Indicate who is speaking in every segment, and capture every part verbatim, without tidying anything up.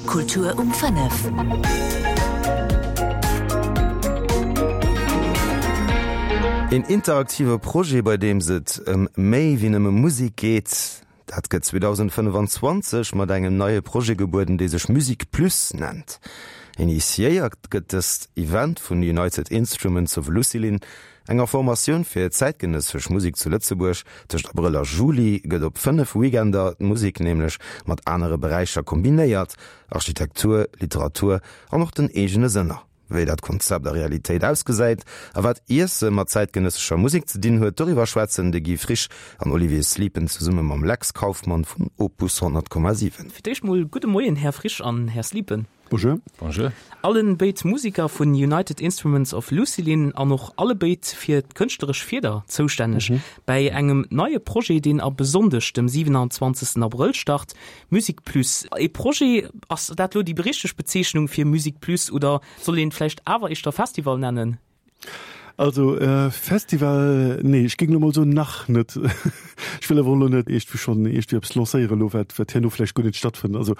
Speaker 1: Kultur um fënnef.
Speaker 2: Een interaktive Projet, bei deems et ëm méi wéi nëmme Musek geet, dat gëtt zweedausendfënnefanzwanzeg mat engem neie Projet gebueden, dee sech Musique Plus nennt. Initiéiert gëtt dëst Event vun United Instruments of Lucilin, enger Formatioun fir zäitgenëssesch Musek zu Lëtzebuerg. Tëscht Abrëll a Juli gëtt op fënnef Weekender d'Musek nämlech mat anere Beräicher kombinéiert, Architektur, Literatur an och den eegene Sënner. Wéi dat Konzept a Realitéit ausgesäit a wat Iesse mat zäitgenëssescher Musek ze dinn huet, doriwwer schwätzen de Guy Frisch an Olivier Sliepen zesumme mam Lex Kauffmann vun Opus honnert Komma siwen.
Speaker 3: Fir d'éischt mol gudde Moien, Här Frisch an Här Sliepen.
Speaker 4: Bonjour.
Speaker 5: Bonjour.
Speaker 3: Allen béid Musiker vun United Instruments of Lucilin an och allebéid fir d'kënschtleresch Fieder zoustänneg bäi engem neie Projet, deen ab e Sonndeg, dem siwenanzwanzegsten Abrëll start, Musique Plus. E Projet, ass dat elo déi richteg Bezeechnung fir Musique Plus oder soll een et vläicht awer éischter Festival nennen?
Speaker 4: Also Festival, nee, ech géing elo mol soen, nach net. Ech wëll awer och elo net iergendwéi schonn iergendwéi eppes lancéieren elo, wat, wat herno vläicht guer net stattfënnt. Also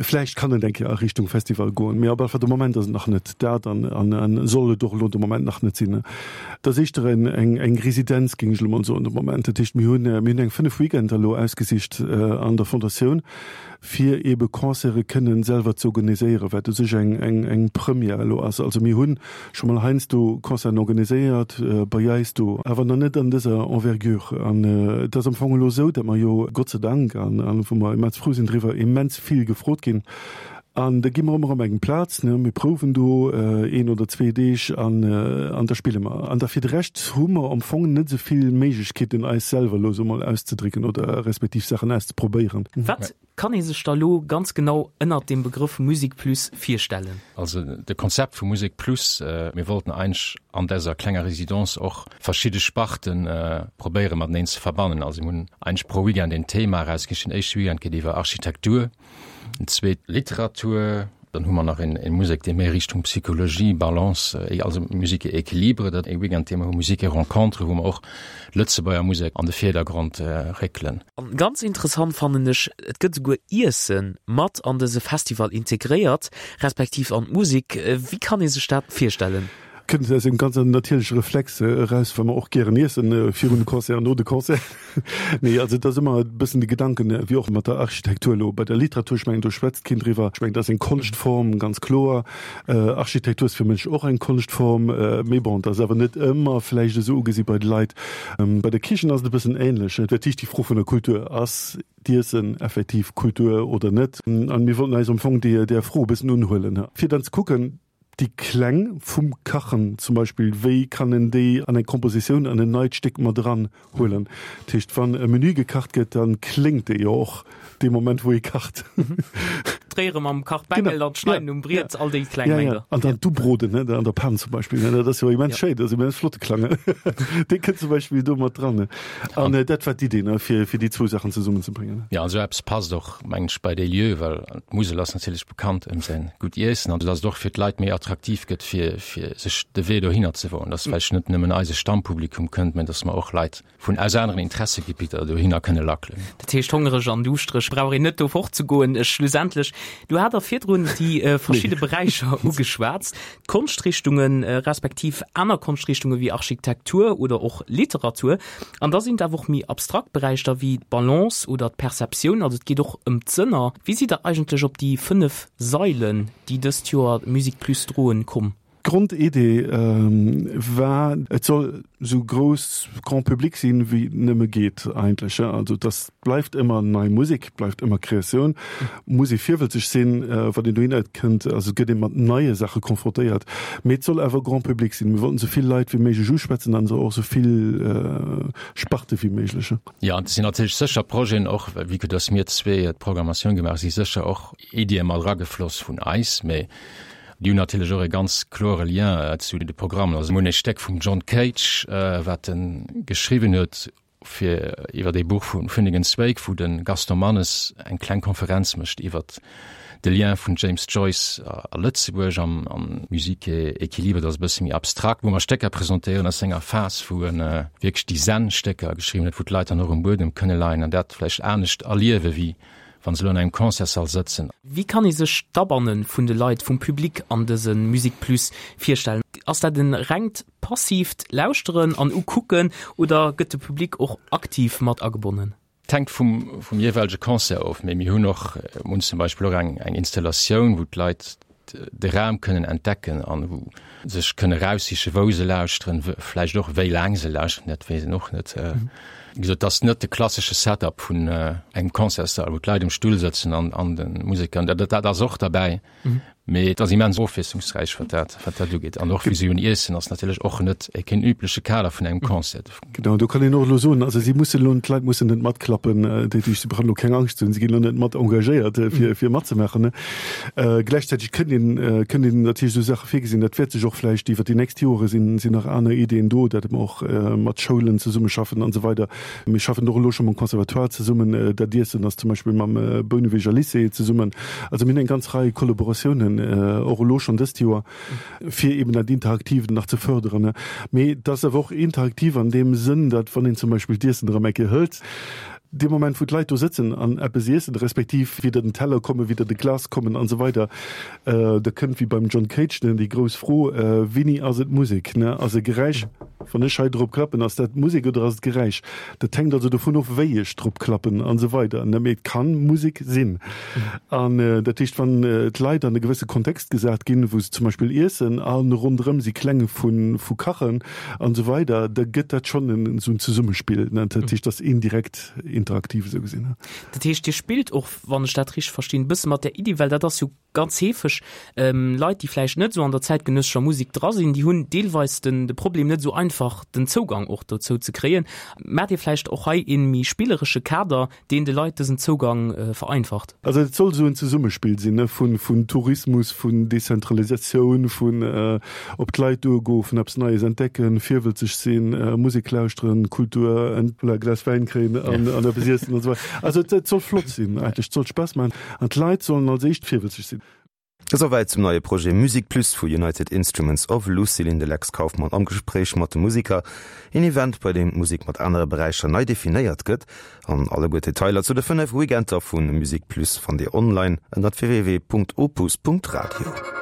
Speaker 4: vläicht kann et eng Kéier a Richtung Festival goen, mee op alle Fall de Moment ass et nach net dat an, an, an soll et och elo de Moment nach net sinn. Et ass éischter eng, eng, eng Residenz, géing ech elo mol soen de Moment. Dat heescht, mir hunn, mir hunn eng fënnef Weekender elo ausgesicht an der Fondatioun, fir eebe Concerte kënnen selwer ze organiséieren, wat u sech eng, eng, eng Première elo ass. Also mir hu scho mol heiansdo Concerten organiséiert bei eis do, awer nach net an dëser Envergure. An et ass am Fong elo esou, datt mer jo Gott sei Dank, an, an wou mer immens frou sinn driwwer, immens vill gefrot ginn. An da gi mer ëmmer erëm eng Plaz, ne, mir prouwen do een oder zwee Deeg an, an da spille mer. An da fir de Rescht hu mer am Fong net esou vill Méiglechkeeten, eis selwer elo esou mol auszedrécken oder respektiv Saachen auszeprobéieren.
Speaker 3: Wat kann ee sech da lo ganz genau ënnert dem Begrëff Musique Plus virstellen?
Speaker 5: Also de Konzept vu Musique Plus, mir wollten eigentlech an däser klenger Résidence och verschidde Sparten probéiere mateneen ze verbannen. Also mir hunn eigentlech pro Weekend een Thema erausgesicht. Den éischte Weekend geet iwwer Architektur, den zweet Literatur, dann hu mer nach een een Musek, dee méi Richtung Psychologie, Balance, also Musique et équilibre, dat ee Weekend, dee mer hu Musique et rencontre, wou mer och Lëtzebuerger Musek an de Virdergrond réckelen.
Speaker 3: An ganz interessant fannen ech, et gëtt esouguer Iesse mat an dëse Festival integréiert, respektiv an d'Musek. Wéi kann ee sech dat virstellen?
Speaker 4: Kënnt aus engem ganz natierleche Reflex eraus, well mer och gären iessen, virun de Concert an no de Concert. Nee, also et ass ëmmer e bëssen de Gedanken, wéi och mat der Architektur elo bei der Literatur, ech mengen, do schwätzt keen driwwer. Ech mengen, dat ass eng Konschtform, ganz kloer. Architektur ass fir mech och eng Konschtform, mee bon, dat ass awer net ëmmer vläicht esou ugesi bei de Leit. Bei der Kichen ass et e bëssen ähnlech. Dat heescht, déi Fro vun der Kultur, ass d'Iessen effektiv Kultur oder net? An mir wollten eis am Fong där Fro e bëssen unhuelen, fir dann ze kucken, Déi Kläng vum Kachen zum Beispill, wéi kann en déi an eng Kompositioun, an en neit Stéck mat eran huelen? Dat heescht, wann e Menü gekacht gëtt, da kléngt dee jo och dee Moment, wou ee kacht.
Speaker 3: D'Réiere mam Kachbengel an d'Schneiden um Briet, all déi kleng Mengler.
Speaker 4: An dann d'Ubroden an der Pan zum Beispill, dat ass jo immens schéin, dat ass immens flotte Klang. Dee kënnt zum Beispill do mat dran. An dat war d'Idee, fir déi zwou Saachen zesummenzebréngen.
Speaker 5: Jo, an esou eppes passt och, mengen ech, bei déi Lieu, well d'Musel ass natierlech bekannt ëm säin gutt Iessen an dass et och fir d'Leit méi attraktiv gëtt, fir, fir sech de Wee dohinner ze woen, dass vläicht net nëmmen eise Stammpublikum kënnt, mä dass mer och Leit vun aus aneren Interessegebitter dohinner kënne lackelen.
Speaker 3: Dat heescht, hongereg an duuschtereg brauch een net do fortzegoen. Schlussendlech, du hat der virdrun déi verschidde Beräicher ugeschwat, d'Konschtrichtungen, respektiv aner Konschtrichtunge wéi Architektur oder och Literatur. An da sinn et awer och méi abstrakt Beräicher wéi d'Balance oder d'Perceptioun, also et geet och ëm d'Sënner. Wéi sidd Der eigentlech op déi fënnef Sailen, déi dëst Joer Musique Plus droen, komm?
Speaker 4: D'Grondidee war, et soll esou grouss Grand public sinn, wéi et nëmme geet eigentlech. Also dass bleift ëmmer nei Musek, bleift ëmmer Kreatioun, muss ee virwëlzeg sinn, wann een dohinner kënnt. Also et gëtt ee mat neie Saache confrontéiert, mee et soll awer Grand public sinn. Mir wollten esou vill Leit wéi méiglech uschwätzen an och esou vill Sparte wéi méiglech.
Speaker 5: Jo, an et sinn natierlech sécher Projeten och, vue que dass mir zwee d'Programmatioun gemaach hu, si sécher och Iddie mat eragefloss vun eis, mee déi hunn natierlech och e ganz klore Lien zu de Programmen. Also mir hunn e Stéck vum John Cage, wat en geschriwwen huet fir iwwer ee Buch vu Finnegans Wake, wou de Gaston Mannes eng kleng Konferenz mécht iwwer de Lien vun James Joyce a Lëtzebuerg an an Musique et équilibre. Dat ass e bësse méi abstrakt, wou mer Stécker presentéieren aus senger Phas, wou en wierklech déi Zen-Stécker geschriwwen huet, wou d'Leit dann och um Buedem kënne leien an dat vläicht anescht erliewe wéi wann se elo an engem Concertssall sëtzen.
Speaker 3: Wéi kann ee sech d'Abanne vun de Leit, vum Public an dëse Musique Plus virstellen? Ass dat e rengt passiivt Lauschteren an Ukucken oder gëtt de Public och aktiv mat agebonnen?
Speaker 5: Et hänkt vum, vum jeeweilege Concert of, mee mir hunn och, mir hunn zum Beispill och eng, eng Installatioun, wou d'Leit de Raum kënnen entdecken an wou sech kënne raussiche wou se lauschteren, vläicht och wéi laang se lauschteren, dat weess een och net. Wéi gesot, et ass net de klassesche Setup vun engem Concertssall, wou d'Leit um Stull sëtzen an an de Museker, dat dat ass och derbäi, mee et ass immens ofwiesslungsräich wat dat wat dat ugeet. An och wéi se hunn iessen ass natierlech och net e keen übleche Kader vun engem Concert.
Speaker 4: Genau, do kann een och elo soen, also si mussen elo, d'Leit mussen net matklappen, dat heescht, si brauchen elo keng Angscht ze hunn, si ginn elo net mat engagéiert fir fir matzemaachen. Gläichzäiteg kënnt een kënnt een natierlech esou Saache virgesinn, dat wäert sech och vläicht iwwer déi nächst Jore sinn sinn nach aner Ideeën do, datt mer och mat Schoulen zesummeschaffen an esou weider. Mir schaffen och elo scho mam Conservatoire zesummen, dat Iessen ass zum Beispill mam Bouneweger Lycée zesummen. Also mir hunn eng ganz Rei Kollaboratiounen och elo schonn dëst Joer, fir eben dat Interaktiivt nach ze förderen. Mee et ass awer och interaktiv an deem Sënn, datt wann een zum Beispill d'Iessen erëm eng Kéier hëlt, dee Moment wou d'Leit do sëtzen an eppes iessen, respektiv wéi der den Teller kommen, wéi der de Glas kommen an esou weider, da kënnt wéi beim John Cage, ne, déi grouss Fro, Wéini ass et Musek, ne? Ass e Geräisch, wann ech hei drop klappen, ass dat Musek oder ass et Geräisch? Dat hänkt also dovun of, wéi ech drop klappen an esou weider, ne? Mee et kann Musek sinn. An dat heescht, wann d'Leit an e gewësse Kontext gesat ginn, wou se zum Beispill iessen a ronderëm si Kläng vu vu Kachen an esou weider, da gëtt dat schonn en esou en Zesummespill, ne? Dat heescht, dat ass indirekt interaktiv esou gesinn.
Speaker 3: Dat heescht, Dir spillt och, wann ech dat richteg verstinn, e bësse mat där Iddi, well dat ass jo ganz heefeg, Leit, déi vläicht net esou an der zäitgenëssescher Musek dra sinn, déi hunn deelweis den de Problem, net esou einfach den Zougang och dozou ze kréien. Maacht Dir vläicht och hei ee méi spilleresche Kader, deen de Leit dësen Zougang vereinfacht?
Speaker 4: Also et soll esou en Zesummespill sinn, ne, vun vun Tourismus, vun Dezentralisatioun, vun op d'Leit duergoen, vun eppes Neies entdecken, virwëlzeg sinn, Musek lauschteren, Kultur, voilà, Glas Wäin kréien an an eppes iessen an esou weider. Also et soll flott sinn eigentlech, et soll Spaass maachen an d'Leit sollen als éischt virwëlzeg sinn.
Speaker 2: Esouwäit zum neie Projet Musique Plus vu United Instruments of Lucilin, de Lex Kauffmann am Gespréich mat de Musiker. Een Event, bei deem d'Musek mat anere Beräicher nei definéiert gëtt. An alleguer d'Detailer zu de fënnef Weekender vu Musique Plus fannt Dir online ënnert www.opus.radio.